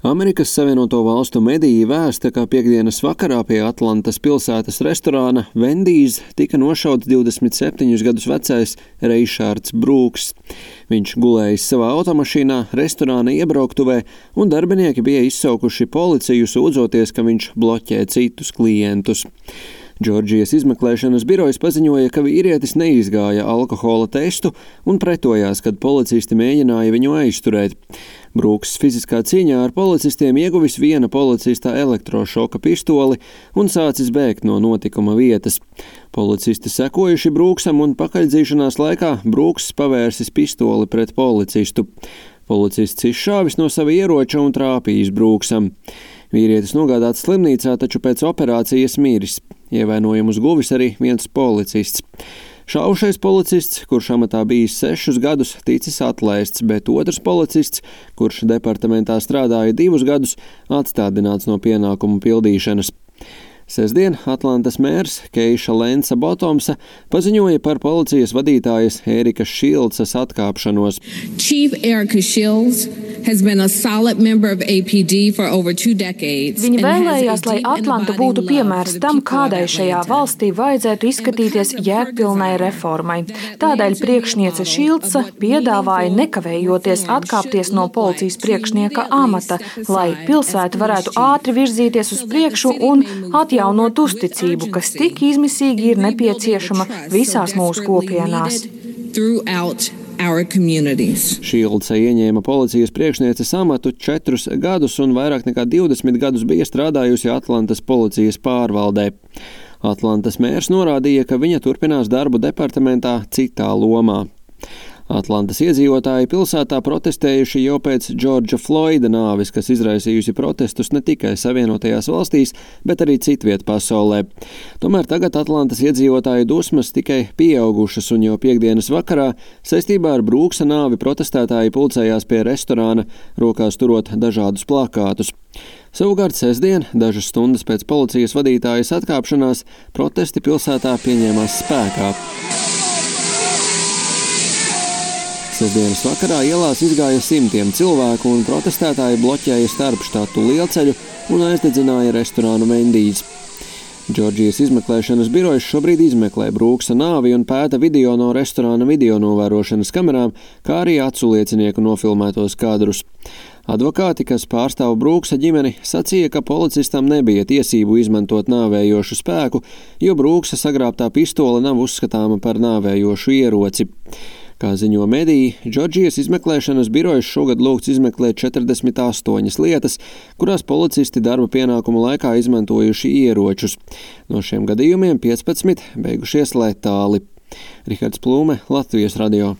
Amerikas Savienoto Valstu mediji vēsta, ka piektdienas vakarā pie Atlantas pilsētas restorāna Wendy's tika nošauts 27 gadus vecais Reišārds Brūks. Viņš gulējis savā automašīnā restorāna iebruktuvē, un darbinieki bija izsaukuši policiju, sūdzoties, ka viņš bloķē citus klientus. Džordžijas izmeklēšanas birojas paziņoja, ka vīrietis neizgāja alkohola testu un pretojās, kad policisti mēģināja viņu aizturēt. Brūks fiziskā cīņā ar policistiem ieguvis viena policista elektrošoka pistoli un sācis bēgt no notikuma vietas. Policisti sekojuši Brūksam un pakaļdzīšanās laikā Brūks pavērsis pistoli pret policistu. Policists izšāvis no sava ieroča un trāpījis Brūksam. Vīrietis nogādāts slimnīcā, taču pēc operācijas miris. Ievainojumus guvis arī viens policists. Šaušais policists, kurš amatā bijis 6 gadus, ticis atlaists, bet otrs policists, kurš departamentā strādāja 2 gadus, atstādināts no pienākumu pildīšanas. Sestdien Atlantas mērs Keiša Lensa Botomsa paziņoja par policijas vadītājas Erikas Šildsas atkāpšanos. Chief Erika Shields has been a solid member of APD for over 2 decades. Viņa vēlējās, lai Atlanta būtu piemērs tam, kādai šajā valstī vajadzētu izskatīties jēgpilnai reformai. Tādēļ priekšniece Šildsa piedāvāja nekavējoties atkāpties no policijas priekšnieka amata, lai pilsēta varētu ātri virzīties uz priekšu un atjaunot uzticību, kas tik izmisīgi ir nepieciešama visās mūsu kopienās. Šildsa ieņēma policijas priekšnieces amatu 4 gadus un vairāk nekā 20 gadus bija strādājusi Atlantas policijas pārvaldē. Atlantas mērs norādīja, ka viņa turpinās darbu departamentā citā lomā. Atlantas iedzīvotāji pilsētā protestējuši jau pēc Džordža Floida nāves, kas izraisījusi protestus ne tikai Savienotajās valstīs, bet arī citviet pasaulē. Tomēr tagad Atlantas iedzīvotāju dusmas tikai pieaugušas, un jau piektdienas vakarā saistībā ar Brūksa nāvi protestētāji pulcējās pie restorāna, rokās turot dažādus plakātus. Savukārt sestdien, dažas stundas pēc policijas vadītājas atkāpšanās, protesti pilsētā pieņēmās spēkā. Sestdienas vakarā ielās izgāja simtiem cilvēku un protestētāji bloķēja starpštatu lielceļu un aizdedzināja restorānu Wendy's. Džordžijas izmeklēšanas birojas šobrīd izmeklē Brūksa nāvi un pēta video no restorāna video novērošanas kamerām, kā arī aculiecinieku nofilmētos kadrus. Advokāti, kas pārstāv Brūksa ģimeni, sacīja, ka policistam nebija tiesību izmantot nāvējošu spēku, jo Brūksa sagrābtā pistole nav uzskatāma par nāvējošu ieroci. Kā ziņo mediji, Džordžijas izmeklēšanas birojas šogad lūgts izmeklēt 48 lietas, kurās policisti darba pienākumu laikā izmantojuši ieročus. No šiem gadījumiem 15 beigušies letāli. Rihards Plūme, Latvijas radio.